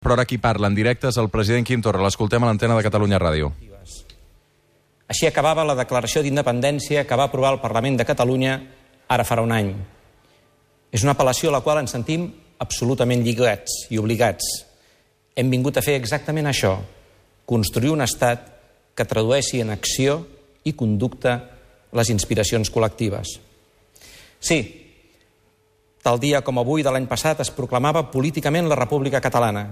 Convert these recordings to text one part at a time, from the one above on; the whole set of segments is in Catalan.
Però ara qui parla en directe és el president Quim Torra. L'escoltem a l'antena de Catalunya Ràdio. Així acabava la declaració d'independència que va aprovar el Parlament de Catalunya ara farà un any. És una apel·lació a la qual ens sentim absolutament lligats i obligats. Hem vingut a fer exactament això, construir un estat que tradueixi en acció i conducta les inspiracions col·lectives. Sí, tal dia com avui de l'any passat es proclamava políticament la República Catalana,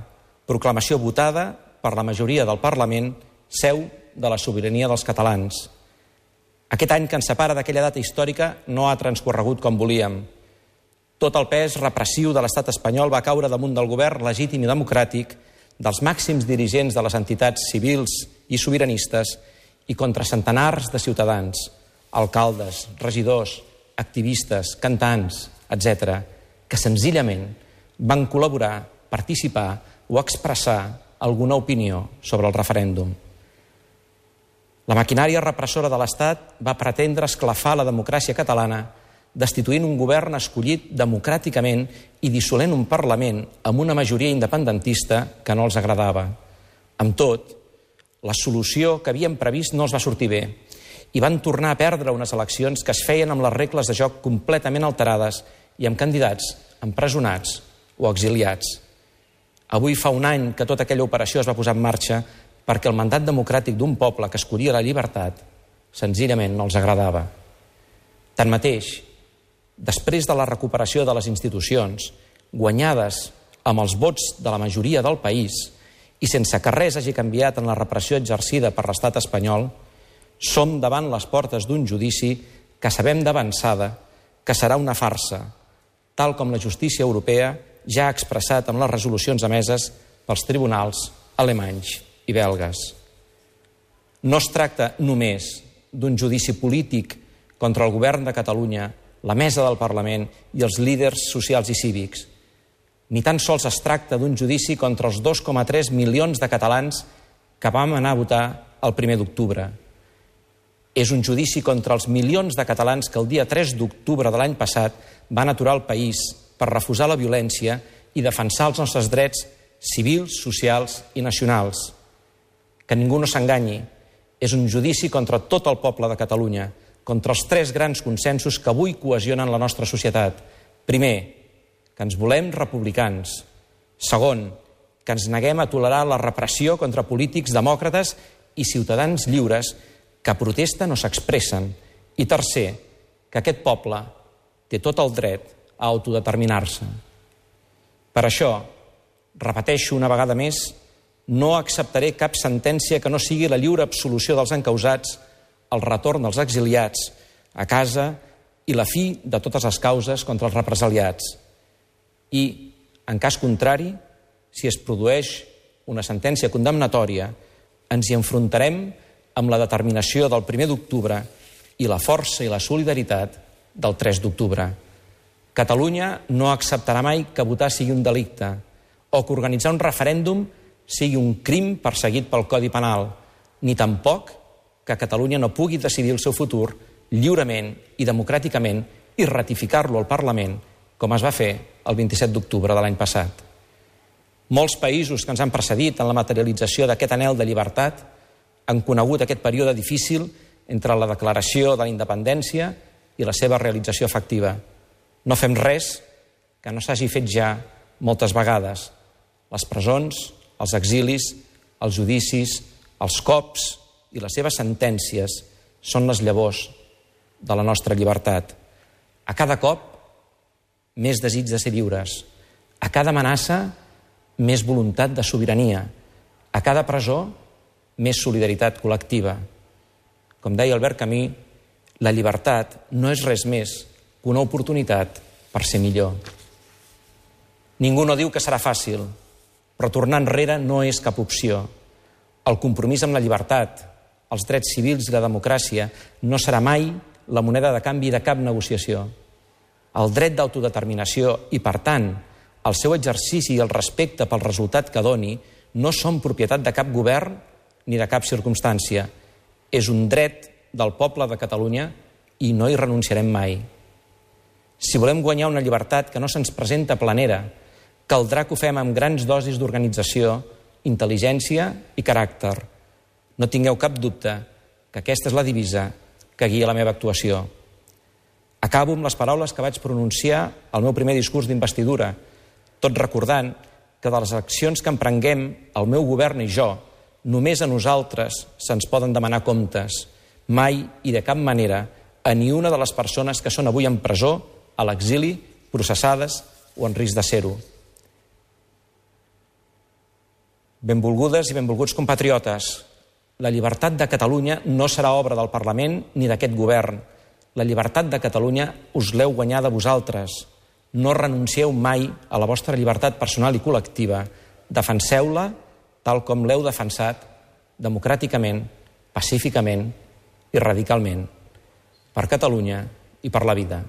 proclamació votada per la majoria del Parlament, seu de la sobirania dels catalans. Aquest any que ens separa d'aquella data històrica no ha transcorregut com volíem. Tot el pes repressiu de l'estat espanyol va caure damunt del govern legítim i democràtic, dels màxims dirigents de les entitats civils i sobiranistes i contra centenars de ciutadans, alcaldes, regidors, activistes, cantants, etc., que senzillament van col·laborar, participar o expressar alguna opinió sobre el referèndum. La maquinària repressora de l'Estat va pretendre esclafar la democràcia catalana destituint un govern escollit democràticament i dissolent un Parlament amb una majoria independentista que no els agradava. Amb tot, la solució que havien previst no els va sortir bé i van tornar a perdre unes eleccions que es feien amb les regles de joc completament alterades i amb candidats empresonats o exiliats. Avui fa un any que tota aquella operació es va posar en marxa perquè el mandat democràtic d'un poble que escollia la llibertat senzillament no els agradava. Tanmateix, després de la recuperació de les institucions, guanyades amb els vots de la majoria del país i sense que res hagi canviat en la repressió exercida per l'estat espanyol, som davant les portes d'un judici que sabem d'avançada que serà una farsa, tal com la justícia europea ja ha expressat amb les resolucions emeses pels tribunals alemanys i belgues. No es tracta només d'un judici polític contra el govern de Catalunya, la mesa del Parlament i els líders socials i cívics. Ni tan sols es tracta d'un judici contra els 2,3 milions de catalans que vam anar a votar el 1 d'octubre. És un judici contra els milions de catalans que el dia 3 d'octubre de l'any passat van aturar el país per refusar la violència i defensar els nostres drets civils, socials i nacionals. Que ningú no s'enganyi, és un judici contra tot el poble de Catalunya, contra els 3 grans consensos que avui cohesionen la nostra societat. Primer, que ens volem republicans. Segon, que ens neguem a tolerar la repressió contra polítics demòcrates i ciutadans lliures que protesten o s'expressen. I tercer, que aquest poble té tot el dret a autodeterminar-se. Per això, repeteixo una vegada més, no acceptaré cap sentència que no sigui la lliure absolució dels encausats, el retorn dels exiliats a casa i la fi de totes les causes contra els represaliats. I, en cas contrari, si es produeix una sentència condemnatòria, ens hi enfrontarem amb la determinació del 1 d'octubre i la força i la solidaritat del 3 d'octubre. Catalunya no acceptarà mai que votar sigui un delicte o que organitzar un referèndum sigui un crim perseguit pel Codi Penal, ni tampoc que Catalunya no pugui decidir el seu futur lliurement i democràticament i ratificar-lo al Parlament, com es va fer el 27 d'octubre de l'any passat. Molts països que ens han precedit en la materialització d'aquest anhel de llibertat han conegut aquest període difícil entre la declaració de la independència i la seva realització efectiva. No fem res que no s'hagi fet ja moltes vegades. Les presons, els exilis, els judicis, els cops i les seves sentències són les llavors de la nostra llibertat. A cada cop, més desig de ser lliures. A cada amenaça, més voluntat de sobirania. A cada presó, més solidaritat col·lectiva. Com deia Albert Camus, la llibertat no és res més que una oportunitat per ser millor. Ningú no diu que serà fàcil, però tornar enrere no és cap opció. El compromís amb la llibertat, els drets civils i la democràcia no serà mai la moneda de canvi de cap negociació. El dret d'autodeterminació i, per tant, el seu exercici i el respecte pel resultat que doni no són propietat de cap govern ni de cap circumstància. És un dret del poble de Catalunya i no hi renunciarem mai. Si volem guanyar una llibertat que no se'ns presenta planera, Caldrà que ho fem amb grans dosis d'organització, intel·ligència i caràcter. No tingueu cap dubte que aquesta és la divisa que guia la meva actuació. Acabo amb les paraules que vaig pronunciar al meu primer discurs d'investidura, tot recordant que de les accions que emprenguem el meu govern i jo, només a nosaltres se'ns poden demanar comptes, mai i de cap manera a ni una de les persones que són avui en presó, a l'exili, processades o en risc de ser-ho. Benvolgudes i benvolguts compatriotes, la llibertat de Catalunya no serà obra del Parlament ni d'aquest govern. La llibertat de Catalunya us l'heu guanyada vosaltres. No renuncieu mai a la vostra llibertat personal i col·lectiva. Defenseu-la tal com l'heu defensat, democràticament, pacíficament i radicalment, per Catalunya i per la vida.